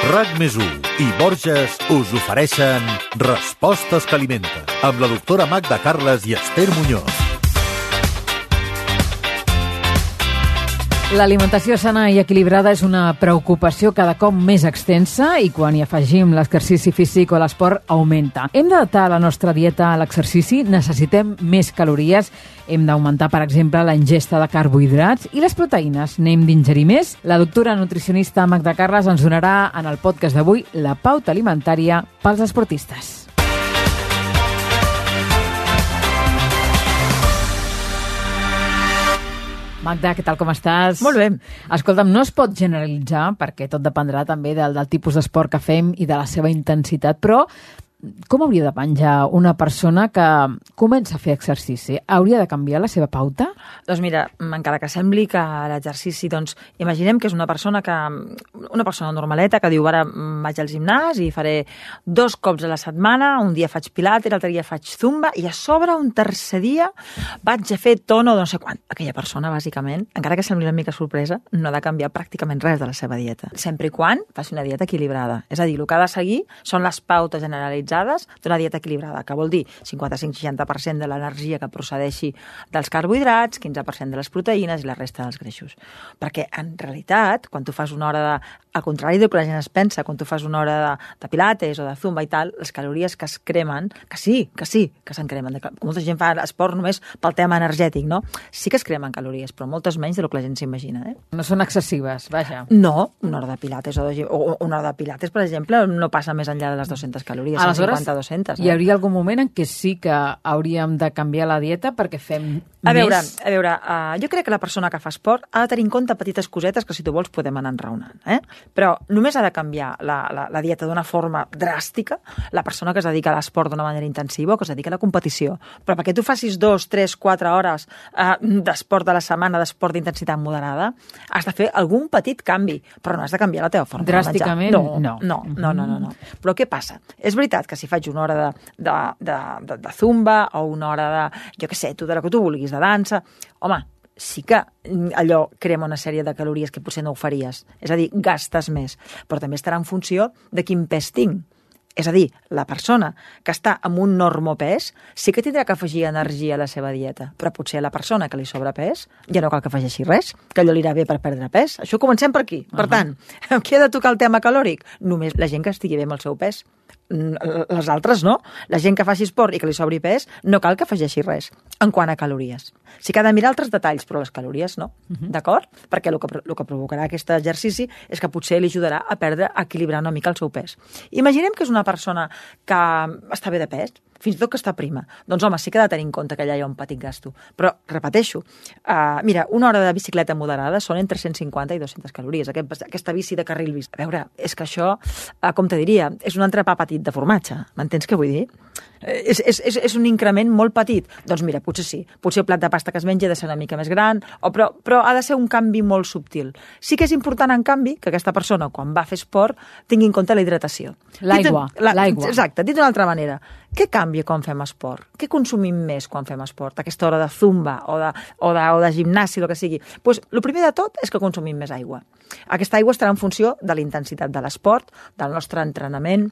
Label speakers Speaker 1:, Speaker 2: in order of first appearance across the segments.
Speaker 1: RAC+1 i Borges us ofereixen Respostes que alimenten, amb la doctora Magda Carles i Esther Muñoz.
Speaker 2: L'alimentació sana i equilibrada és una preocupació cada cop més extensa i quan hi afegim l'exercici físic o l'esport augmenta. Hem d'adaptar la nostra dieta a l'exercici, necessitem més calories, hem d'augmentar, per exemple, la ingesta de carbohidrats i les proteïnes. N'hem d'ingerir més? La doctora nutricionista Magda Carles ens donarà en el podcast d'avui la pauta alimentària pels esportistes. Magda, què tal, com estàs?
Speaker 3: Molt bé.
Speaker 2: Escolta'm, no es pot generalitzar, perquè tot dependrà també del tipus d'esport que fem i de la seva intensitat, però com hauria de menjar una persona que comença a fer exercici? Hauria de canviar la seva pauta?
Speaker 3: Doncs mira, encara que sembli que l'exercici, doncs, imaginem que és una persona normaleta que diu, ara vaig al gimnàs i faré 2 cops a la setmana, un dia faig pilates, l'altre dia faig zumba i a sobre un tercer dia vaig a fer tono no sé quant. Aquella persona, bàsicament, encara que sembli una mica sorpresa, no ha de canviar pràcticament res de la seva dieta. Sempre i quan faci una dieta equilibrada. És a dir, el que ha de seguir són les pautes generalitzades d'una dieta equilibrada, que vol dir 55-60% de l'energia que procedeixi dels carbohidrats, 15% de les proteïnes i la resta dels greixos. Perquè, en realitat, quan tu fas una hora al contrari del que la gent es pensa, quan tu fas una hora de pilates o de zumba i tal, les calories que es cremen, que se'n cremen. Molta gent fa esport només pel tema energètic, no? Sí que es cremen calories, però moltes menys del que la gent s'imagina.
Speaker 2: No són excessives, vaja.
Speaker 3: No, una hora de pilates o una hora de pilates, per exemple, no passa més enllà de les 200 calories.
Speaker 2: Aleshores,
Speaker 3: 200,
Speaker 2: hi hauria algun moment en què sí que hauríem de canviar la dieta perquè fem més?
Speaker 3: A veure, jo crec que la persona que fa esport ha de tenir en compte petites cosetes que, si tu vols, podem anar enraonant. Però només ha de canviar la dieta d'una forma dràstica la persona que es dedica a l'esport d'una manera intensiva o que es dedica a la competició. Però perquè tu facis 2, 3, 4 hores d'esport de la setmana, d'esport d'intensitat moderada, has de fer algun petit canvi, però no has de canviar la teva forma
Speaker 2: dràsticament,
Speaker 3: de menjar. No. Però què passa? És veritat que si faig una hora de zumba o una hora de, jo què sé, de la que tu vulguis, de dansa, home, sí que allò crema una sèrie de calories que potser no ho faries. És a dir, gastes més, però també estarà en funció de quin pes tinc. És a dir, la persona que està amb un normopès sí que tindrà que afegir energia a la seva dieta, però potser a la persona que li sobra pes ja no cal que afegeixi res, que allò li irà bé per perdre pes. Això comencem per aquí. Per tant, qui ha de tocar el tema calòric? Només la gent que estigui bé amb el seu pes. Les altres no. La gent que faci esport i que li sobri pes no cal que afegeixi res en quant a calories. Sí que ha de mirar altres detalls, però les calories no. D'acord? Perquè el que provocarà aquest exercici és que potser li ajudarà a equilibrar una mica el seu pes. Imaginem que és una persona que està bé de pes, fins i tot que està prima. Doncs, home, sí que ha de tenir en compte que allà hi ha un petit gasto. Però, repeteixo, mira, una hora de bicicleta moderada són entre 150 i 200 calories. Aquesta bici de carril bici. A veure, és que això, com te diria, és un entrepà petit de formatge. M'entens què vull dir? És un increment molt petit. Doncs mira, potser sí. Potser el plat de pasta que es menja ha de ser una mica més gran, però ha de ser un canvi molt subtil. Sí que és important, en canvi, que aquesta persona, quan va a fer esport, tingui en compte la hidratació.
Speaker 2: L'aigua.
Speaker 3: Exacte. Dit d'una altra manera, què canvia quan fem esport? Què consumim més quan fem esport? Aquesta hora de zumba o de gimnàsia, el que sigui. Doncs el primer de tot és que consumim més aigua. Aquesta aigua estarà en funció de la intensitat de l'esport, del nostre entrenament,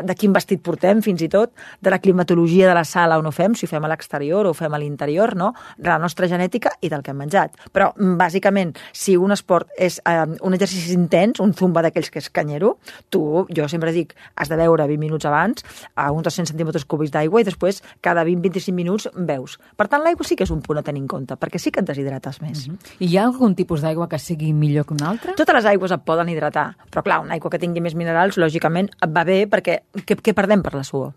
Speaker 3: de quin vestit portem, fins i tot, de la climatologia de la sala on ho fem, si ho fem a l'exterior o ho fem a l'interior, no? De la nostra genètica i del que hem menjat. Però, bàsicament, si un esport és un exercici intens, un zumba d'aquells que és canyero, jo sempre dic, has de beure 20 minuts abans, a uns 200 centímetres cúbics d'aigua i després cada 20-25 minuts beus. Per tant, l'aigua sí que és un punt a tenir en compte, perquè sí que et deshidrates més.
Speaker 2: I hi ha algun tipus d'aigua que sigui millor que una altra?
Speaker 3: Totes les aigües et poden hidratar, però clar, una aigua que tingui més minerals, lògicament, et va bé perquè què perdem per la suor?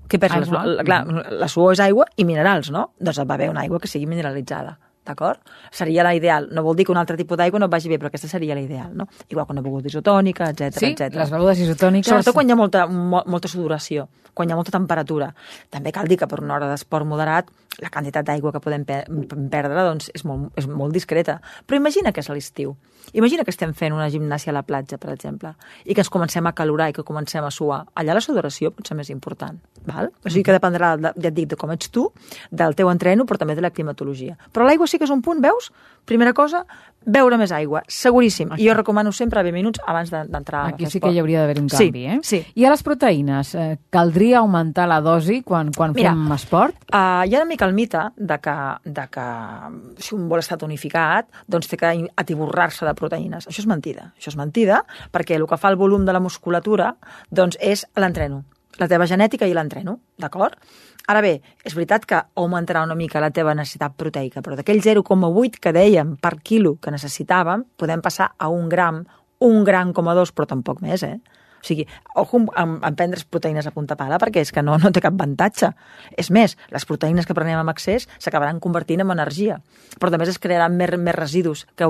Speaker 3: Què perds? La suor és aigua i minerals, no? Doncs et va bé una aigua que sigui mineralitzada. D'acord? Seria l'ideal. No vol dir que un altre tipus d'aigua no et vagi bé, però aquesta seria l'ideal, no? Igual que una beguda isotònica, etc.
Speaker 2: Sí, les begudes isotòniques.
Speaker 3: Sobretot quan hi ha molta sudoració, quan hi ha molta temperatura. També cal dir que per una hora d'esport moderat la quantitat d'aigua que podem perdre doncs, és molt discreta. Però imagina que és a l'estiu. Imagina que estem fent una gimnàsia a la platja, per exemple, i que ens comencem a calorar i que comencem a suar. Allà la sudoració pot ser més important. Val? O sigui que dependrà, ja et dic, de com ets tu, del teu entreno, però també de la climatologia. Però l'aigua sí que és un punt, veus? Primera cosa, beure més aigua, seguríssim. I jo recomano sempre 20 minuts abans d'entrar a fer esport.
Speaker 2: Aquí sí que hi hauria d'haver un canvi,
Speaker 3: Sí.
Speaker 2: I a les proteïnes, caldria augmentar la dosi quan fem esport?
Speaker 3: Hi ha una mica el mite de que si un vol estar tonificat, doncs té que atiborrar-se de proteïnes. Això és mentida, perquè el que fa el volum de la musculatura doncs és l'entreno. La teva genètica i l'entreno, d'acord? Ara bé, és veritat que augmentarà una mica la teva necessitat proteica, però d'aquell 0,8 que dèiem per quilo que necessitàvem, podem passar a 1 gram, 1,2 però tampoc més, O sigui, ojo en prendre's proteïnes a punta pala, perquè és que no té cap avantatge. És més, les proteïnes que prenem amb excés s'acabaran convertint en energia, però també es crearan més residus que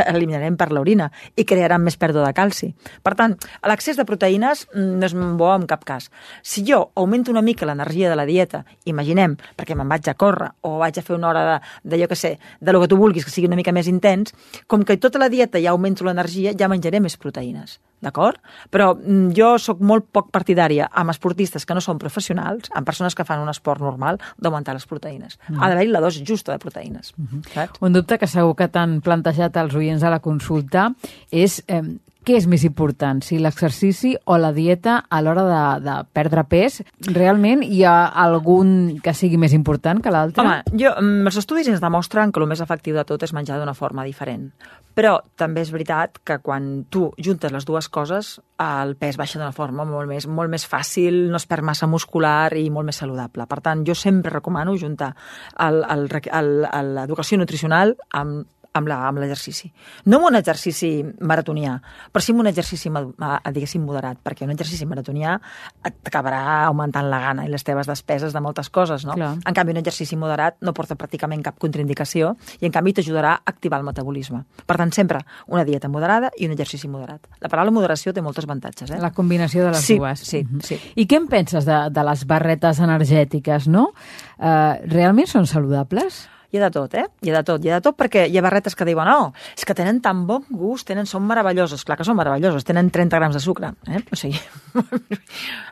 Speaker 3: eliminarem per l'orina i crearan més pèrdua de calci. Per tant, l'excés de proteïnes no és bo en cap cas. Si jo augmento una mica l'energia de la dieta, imaginem, perquè me'n vaig a córrer o vaig a fer una hora de lo que tu vulguis, que sigui una mica més intens, com que tota la dieta ja augmento l'energia, ja menjaré més proteïnes. D'acord? Però jo sóc molt poc partidària amb esportistes que no són professionals, amb persones que fan un esport normal, d'augmentar les proteïnes. Ha d'haver-hi la dosi justa de proteïnes. Saps?
Speaker 2: Un dubte que segur que t'han plantejat els oients a la consulta és què és més important, si l'exercici o la dieta a l'hora de perdre pes? Realment hi ha algun que sigui més important que l'altre?
Speaker 3: Home, els estudis ens demostren que el més efectiu de tot és menjar d'una forma diferent. Però també és veritat que quan tu juntes les dues coses, el pes baixa d'una forma molt més fàcil, no es perd massa muscular i molt més saludable. Per tant, jo sempre recomano juntar l'educació nutricional amb l'exercici. No amb un exercici maratonià, però sí amb un exercici, diguéssim, moderat, perquè un exercici maratonià t'acabarà augmentant la gana i les teves despeses de moltes coses, no?
Speaker 2: Clar.
Speaker 3: En canvi, un exercici moderat no porta pràcticament cap contraindicació i, en canvi, t'ajudarà a activar el metabolisme. Per tant, sempre una dieta moderada i un exercici moderat. La paraula moderació té molts avantatges,
Speaker 2: La combinació de les dues.
Speaker 3: Sí.
Speaker 2: I què en penses de les barretes energètiques, no? Realment són saludables?
Speaker 3: Hi ha de tot, Hi ha de tot perquè hi ha barretes que diuen és que tenen tan bon gust, són meravelloses. Clar que són meravelloses, tenen 30 grams de sucre, O sigui,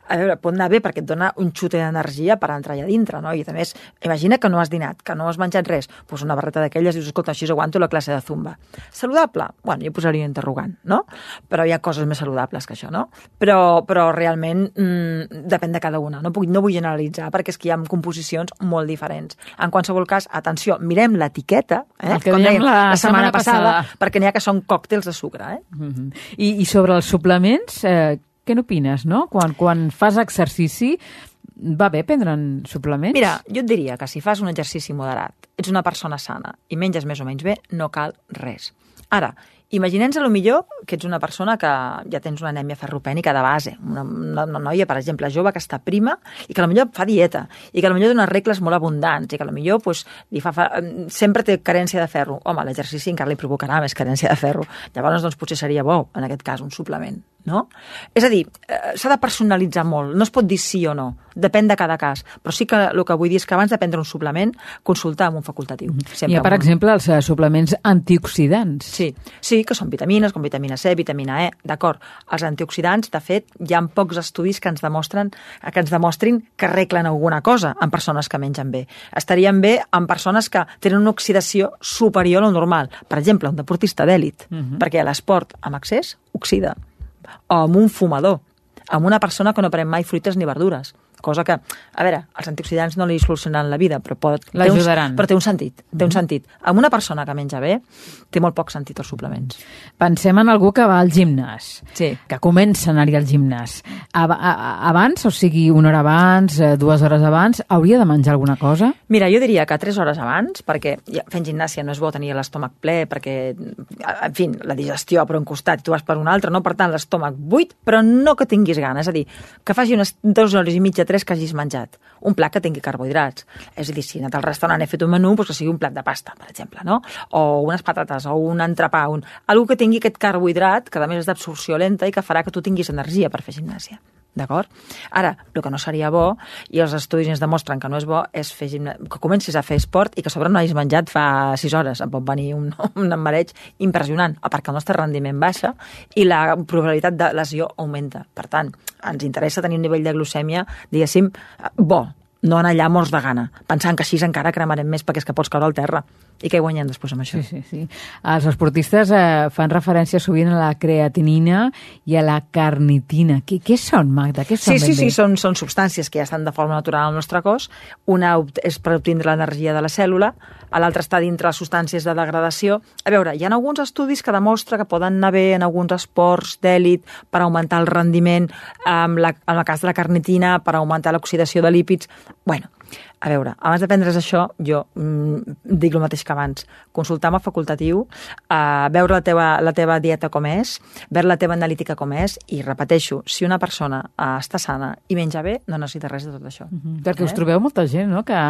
Speaker 3: a veure, pot anar bé perquè et dona un xute d'energia per entrar allà dintre, no? I a més, imagina que no has dinat, que no has menjat res, doncs una barreta d'aquelles dius, escolta, així aguanto la classe de zumba. Saludable? Bueno, jo posaria interrogant, no? Però hi ha coses més saludables que això, no? Però realment depèn de cada una. No vull generalitzar perquè és que hi ha composicions molt diferents. En qualsevol cas, atenció, mirem l'etiqueta,
Speaker 2: com dèiem la setmana passada,
Speaker 3: perquè n'hi ha que són còctels de sucre.
Speaker 2: I sobre els suplements, què n'opines, no? Quan fas exercici, va bé prendre suplements?
Speaker 3: Mira, jo et diria que si fas un exercici moderat, ets una persona sana i menges més o menys bé, no cal res. Ara, imaginem-nos millor que ets una persona que ja tens una anèmia ferropènica de base, una noia, per exemple, jove que està prima i que potser fa dieta i que potser dona regles molt abundants i que potser sempre té carència de ferro. Home, l'exercici encara li provocarà més carència de ferro. Llavors, potser seria bo, en aquest cas, un suplement, no? És a dir, s'ha de personalitzar molt. No es pot dir sí o no. Depèn de cada cas. Però sí que el que vull dir és que abans de prendre un suplement, consultar amb un facultatiu.
Speaker 2: Hi ha, per exemple, els suplements antioxidants.
Speaker 3: Sí, que són vitamines, com vitamina C, vitamina E, d'acord. Els antioxidants, de fet, hi ha pocs estudis que ens demostrin que arreglen alguna cosa en persones que mengen bé. Estarien bé en persones que tenen una oxidació superior a lo normal. Per exemple, un deportista d'èlit, perquè l'esport amb excés oxida. O amb un fumador, amb una persona que no pren mai fruites ni verdures. Cosa que, a veure, els antioxidants no li solucionaran la vida, però
Speaker 2: l'ajudaran.
Speaker 3: Però té un sentit, Amb una persona que menja bé, té molt poc sentit els suplements.
Speaker 2: Pensem en algú que va al gimnàs,
Speaker 3: sí,
Speaker 2: que comença a anar-hi al gimnàs. Abans, o sigui, una hora abans, 2 hores abans, hauria de menjar alguna cosa?
Speaker 3: Mira, jo diria que 3 hores abans, perquè fent gimnàsia no és bo tenir l'estómac ple, perquè, en fi, la digestió per un costat i tu vas per un altre, no? Per tant, l'estómac buit, però no que tinguis gana. És a dir, que faci unes 2 hores i mitja, 3 que hagis menjat. Un plat que tingui carbohidrats. És a dir, si he anat al restaurant he fet un menú, doncs que sigui un plat de pasta, per exemple, no? O unes patates, o un entrepà, algú que tingui aquest carbohidrat, que a més és d'absorció lenta i que farà que tu tinguis energia per fer gimnàsia. D'acord? Ara, el que no seria bo, i els estudis ens demostren que no és bo, és que comencis a fer esport i que a sobre no hagis menjat fa 6 hores. Em pot venir un mareig impressionant, perquè el nostre rendiment baixa i la probabilitat de lesió augmenta. Per tant, ens interessa tenir un nivell de glucèmia, diguéssim, bo. no anar allà morts de gana, pensant que així encara cremarem més perquè és que pots caure al terra. I què guanyem després amb això?
Speaker 2: Sí. Els esportistes fan referència sovint a la creatinina i a la carnitina. Què són, Magda? Què són
Speaker 3: Sí, són substàncies que ja estan de forma natural al nostre cos. Una és per obtindre l'energia de la cèl·lula, l'altra està dintre les substàncies de degradació. A veure, hi ha alguns estudis que demostren que poden anar bé en alguns esports d'èlit per augmentar el rendiment, en el cas de la carnitina, per augmentar l'oxidació de lípids. Bueno, a veure, abans de prendre's això, jo dic el mateix que abans. Consultar amb el facultatiu, veure la teva dieta com és, veure la teva analítica com és, i repeteixo, si una persona està sana i menja bé, no necessita res de tot això.
Speaker 2: Perquè us trobeu molta gent, no?, que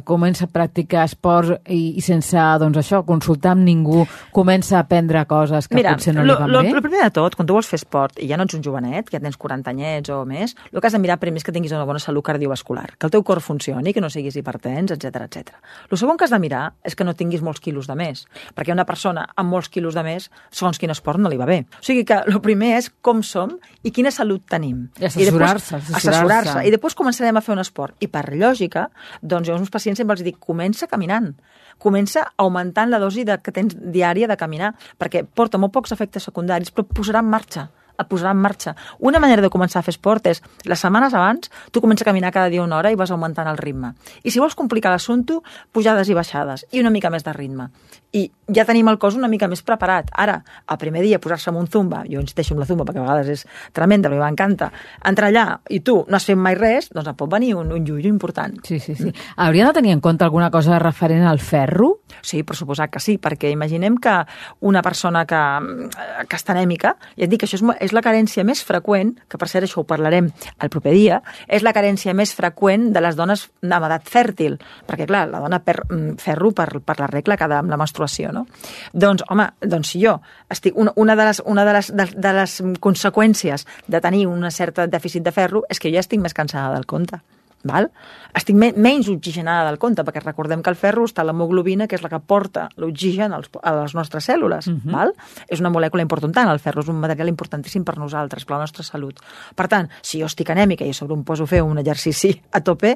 Speaker 2: comença a practicar esports i sense, doncs això, consultar amb ningú, comença a aprendre coses que potser no li van bé.
Speaker 3: El primer de tot, quan tu vols fer esport i ja no ets un jovenet, que ja tens 40 anyets o més, el que has de mirar primer és que tinguis una bona salut cardiovascular, que el teu cor funcioni, que no siguis hipertens, etc. El segon que has de mirar és que no tinguis molts quilos de més, perquè una persona amb molts quilos de més, segons quin esport, no li va bé. O sigui que el primer és com som i quina salut tenim.
Speaker 2: I assessorar-se.
Speaker 3: I després començarem a fer un esport. I per lògica, doncs jo als meus pacients sempre els dic, comença caminant. Comença augmentant la dosi que tens diària de caminar, perquè porta molt pocs efectes secundaris, però et posarà en marxa. Una manera de començar a fer esport és, les setmanes abans, tu comences a caminar cada dia una hora i vas augmentant el ritme. I si vols complicar l'assumpte, pujades i baixades, i una mica més de ritme. I ja tenim el cos una mica més preparat. Ara, el primer dia, posar-se en un zumba, jo insisteixo en la zumba perquè a vegades és tremenda, però m'encanta, entrar allà i tu no has fet mai res, doncs et pot venir un llullo important.
Speaker 2: Sí. Hauria de tenir en compte alguna cosa referent al ferro?
Speaker 3: Sí, per suposat que sí, perquè imaginem que una persona que està anèmica, ja et dic que això és la carència més freqüent, que per cert això ho parlarem el proper dia, és la carència més freqüent de les dones amb edat fèrtil, perquè clar, la dona perd ferro per la regla cada amb la menstruació, no? Doncs, home, si jo estic... Una de les conseqüències de tenir un cert dèficit de ferro és que jo ja estic més cansada del compte. Val? Estic menys oxigenada del compte, perquè recordem que el ferro està a l'hemoglobina, que és la que porta l'oxigen a les nostres cèl·lules. Val? És una molècula important, el ferro és un material importantíssim per nosaltres, per la nostra salut. Per tant, si jo estic anèmica i a sobre em poso a fer un exercici a tope,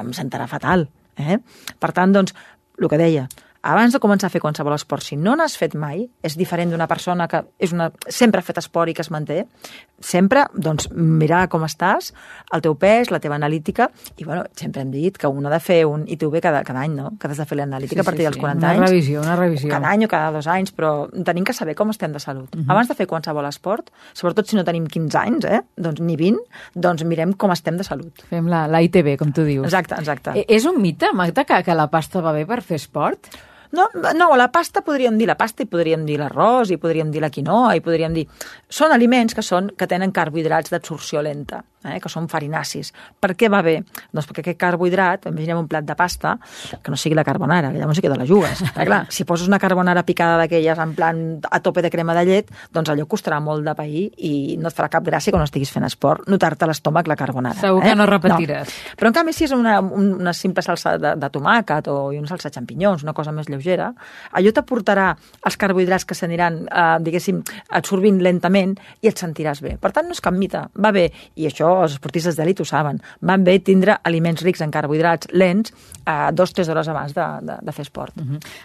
Speaker 3: em sentarà fatal. Per tant, doncs, el que deia, abans de començar a fer qualsevol esport, si no n'has fet mai, és diferent d'una persona que sempre ha fet esport i que es manté, sempre, doncs, mirar com estàs, el teu pes, la teva analítica, i, bueno, sempre hem dit que un ha de fer un ITV cada any, no? Que has de fer l'analítica a partir dels 40 anys.
Speaker 2: Una revisió.
Speaker 3: Cada any o cada 2 anys, però tenim que saber com estem de salut. Abans de fer qualsevol esport, sobretot si no tenim 15 anys, doncs ni 20, doncs mirem com estem de salut.
Speaker 2: Fem la ITV, com tu dius.
Speaker 3: Exacte.
Speaker 2: És un mite, Magda, que la pasta va bé per fer esport?
Speaker 3: No, la pasta podríem dir la pasta i podríem dir l'arròs i podríem dir la quinoa i podríem dir... Són aliments que tenen carbohidrats d'absorció lenta, que són farinacis. Per què va bé? Doncs perquè aquest carbohidrat, imaginem un plat de pasta, que no sigui la carbonara, que llavors sí que te la jugues. Clar, si poses una carbonara picada d'aquelles en plan a tope de crema de llet, doncs allò costarà molt de pair i no et farà cap gràcia quan no estiguis fent esport notar-te a l'estómac la carbonara.
Speaker 2: Segur que no repetiràs.
Speaker 3: No. Però en canvi si és una simple salsa de tomàquet o una salsa de xampinyons, una cosa més lleugera, allò t'aportarà els carbohidrats que s'aniran, diguéssim, absorbint lentament i et sentiràs bé. Per tant, no és cap mite, va bé, i això els esportistes d'elit ho saben, van bé tindre aliments rics en carbohidrats lents 2-3 hores abans de fer esport.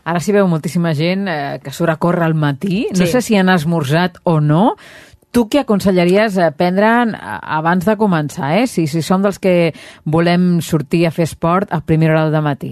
Speaker 2: Ara s'hi veu moltíssima gent que surt a córrer al matí, no sé si han esmorzat o no. Tu què aconsellaries prendre abans de començar, si som dels que volem sortir a fer esport a primera hora del matí?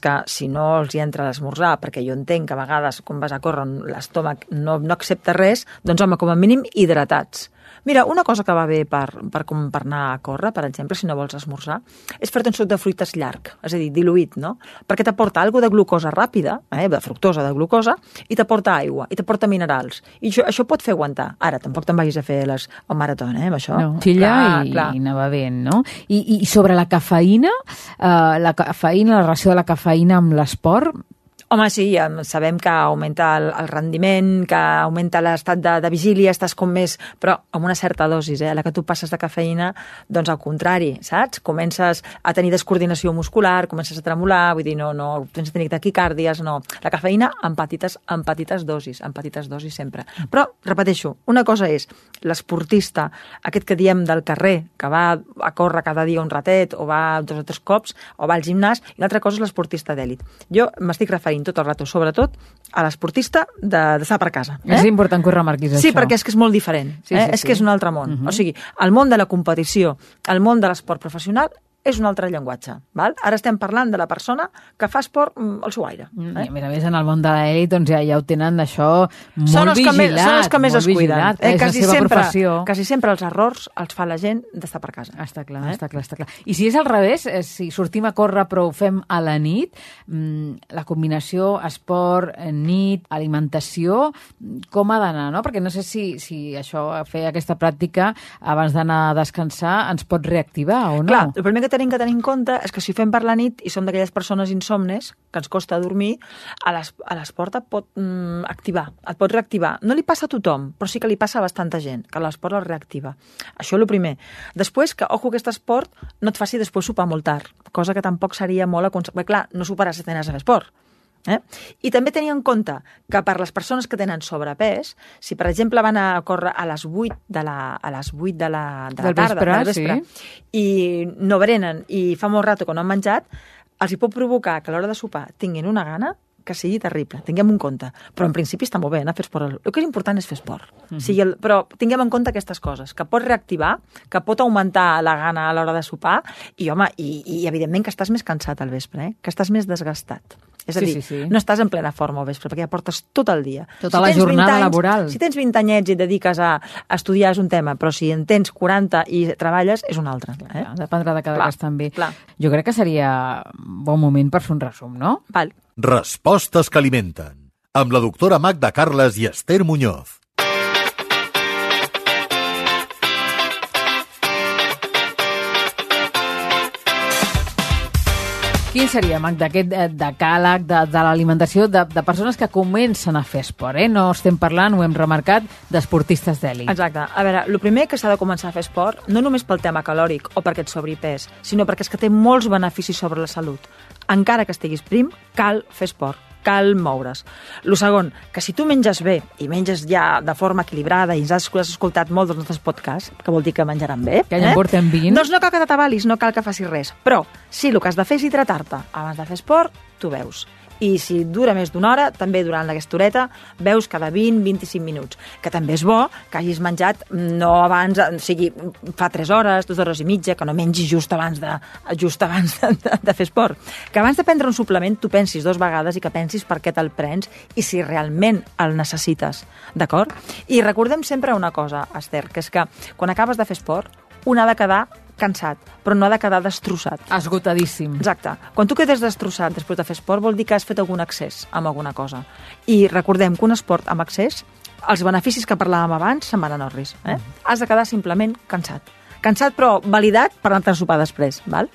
Speaker 3: Que si no els hi entra l'esmorzar, perquè jo entenc que a vegades quan vas a córrer l'estómac no accepta res, doncs home, com a mínim hidratats. Mira, una cosa que va bé per anar a córrer, per exemple, si no vols esmorzar, és fer-te un suc de fruites llarg, és a dir, diluït, no? Perquè t'aporta alguna de glucosa ràpida, de fructosa de glucosa, i t'aporta aigua, i t'aporta minerals. I això pot fer aguantar. Ara, tampoc te'n vagis a fer el marató, amb això.
Speaker 2: No, xilla i anava bé, no? I sobre la cafeïna, la relació de la cafeïna amb l'esport,
Speaker 3: Home, sí, sabem que augmenta el rendiment, que augmenta l'estat de vigília, estàs com més... Però amb una certa dosis, a la que tu passes de cafeïna, doncs al contrari, saps? Comences a tenir descoordinació muscular, comences a tremolar, vull dir, no tens de tenir taquicàrdies, no. La cafeïna en petites dosis sempre. Però, repeteixo, una cosa és l'esportista, aquest que diem del carrer, que va a córrer cada dia un ratet, o va 2 o 3 cops, o va al gimnàs, i l'altra cosa és l'esportista d'èlit. Jo m'estic referint tot el rato, sobretot, a l'esportista d'estar per casa.
Speaker 2: És important que ho remarquis, això.
Speaker 3: Sí, perquè és que és molt diferent. És que és un altre món. O sigui, el món de la competició, el món de l'esport professional, és un altre llenguatge. Val? Ara estem parlant de la persona que fa esport al seu aire.
Speaker 2: I a més, en el món de l'elit, doncs ja ho tenen això molt vigilat.
Speaker 3: Són els que més es cuiden.
Speaker 2: És la seva professió.
Speaker 3: Quasi sempre els errors els fa la gent d'estar per casa.
Speaker 2: Està clar. I si és al revés, si sortim a córrer però ho fem a la nit, la combinació esport, nit, alimentació, com ha d'anar, no? Perquè no sé si això, fer aquesta pràctica abans d'anar a descansar ens pot reactivar o no.
Speaker 3: Clar, el primer que tenim que tenir en compte és que si ho fem per la nit i som d'aquelles persones insomnes que ens costa dormir, a l'esport et pot activar, et pot reactivar. No li passa a tothom, però sí que li passa a bastanta gent, que l'esport el reactiva. Això és el primer. Després, que, ojo, aquest esport no et faci després sopar molt tard, cosa que tampoc seria molt aconsellable. Clar, no soparàs si tens a fer esport. I també tenir en compte que per les persones que tenen sobrepès, si per exemple van a córrer a les 8 de la tarda, del vespre, i no berenen i fa molt rato que no han menjat, els hi pot provocar que a l'hora de sopar tinguin una gana que sigui terrible, tinguem en compte. Però en principi està molt bé anar a fer esport. El que és important és fer esport. Però tinguem en compte aquestes coses, que pot reactivar, que pot augmentar la gana a l'hora de sopar, i home, i evidentment que estàs més cansat al vespre, que estàs més desgastat. És a dir, no estàs en plena forma al vespre, perquè ja portes tot el dia.
Speaker 2: Tota la jornada laboral.
Speaker 3: Si tens 20 anyets i et dediques a estudiar és un tema, però si en tens 40 i treballes és un altre.
Speaker 2: Dependrà de cada cas també. Jo crec que seria bon moment per fer un resum, no?
Speaker 3: Val.
Speaker 1: Respostes que alimenten. Amb la doctora Magda Carles i Esther Muñoz.
Speaker 2: Quin seria, Magda, aquest decàleg de l'alimentació de persones que comencen a fer esport? No estem parlant, ho hem remarcat, d'esportistes d'èlit.
Speaker 3: Exacte. A veure, el primer que s'ha de començar a fer esport, no només pel tema calòric o perquè et sobri pes, sinó perquè és que té molts beneficis sobre la salut. Encara que estiguis prim, cal fer esport, cal moure's. El segon, que si tu menges bé i menges ja de forma equilibrada i ens has escoltat molt dels nostres podcasts, que vol dir que menjaran bé,
Speaker 2: que ja en portem 20,
Speaker 3: doncs no cal que t'atabalis, no cal que facis res. Però si el que has de fer és hidratar-te abans de fer esport, tu veus. I si dura més d'una hora, també durant aquesta horeta, veus cada 20-25 minuts. Que també és bo que hagis menjat no abans, o sigui, fa 3 hores, 2 hores i mitja, que no mengis just abans de fer esport. Que abans de prendre un suplement tu pensis 2 vegades i que pensis per què te'l prens i si realment el necessites, d'acord? I recordem sempre una cosa, Esther, que és que quan acabes de fer esport, un ha de quedar cansat, però no ha de quedar destrossat.
Speaker 2: Esgotadíssim.
Speaker 3: Exacte. Quan tu quedes destrossat després de fer esport vol dir que has fet algun excés amb alguna cosa. I recordem que un esport amb excés, els beneficis que parlàvem abans se'n van a orris. Has de quedar simplement cansat. Cansat però validat per anar a sopar després, val?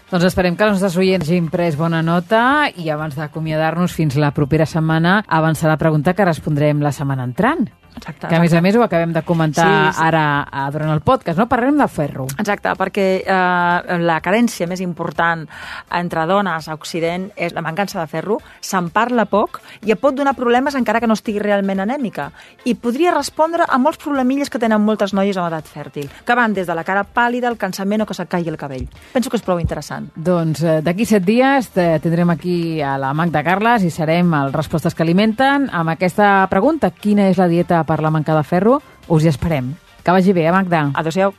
Speaker 2: Doncs esperem que els nostres oients hagin pres bona nota i abans d'acomiadar-nos fins la propera setmana avançar la pregunta que respondrem la setmana entrant.
Speaker 3: Exacte.
Speaker 2: Que a més ho acabem de comentar ara durant el podcast, no? Parlarem del ferro.
Speaker 3: Exacte, perquè la carència més important entre dones a Occident és la mancança de ferro, se'n parla poc i et pot donar problemes encara que no estigui realment anèmica. I podria respondre a molts problemilles que tenen moltes noies amb edat fèrtil, que van des de la cara pàl·lida, el cansament o que se't caigui el cabell. Penso que és prou interessant.
Speaker 2: Doncs d'aquí 7 dies tindrem aquí a la Magda Carles i serem el Respostes que alimenten amb aquesta pregunta: quina és la dieta per la manca de ferro? Us hi esperem. Que vagi bé, Magda.
Speaker 3: Adéu-siau.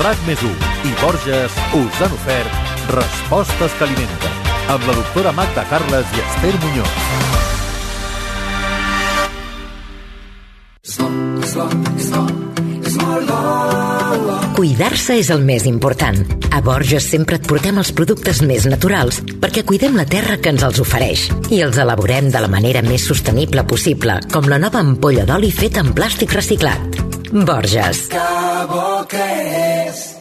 Speaker 1: RAC+1 i Borges us han ofert Respostes que alimenten amb la doctora Magda Carles i Esther Muñoz.
Speaker 4: Cuidar-se és el més important. A Borges sempre et portem els productes més naturals perquè cuidem la terra que ens els ofereix i els elaborem de la manera més sostenible possible, com la nova ampolla d'oli feta en plàstic reciclat. Borges. Que bo que és!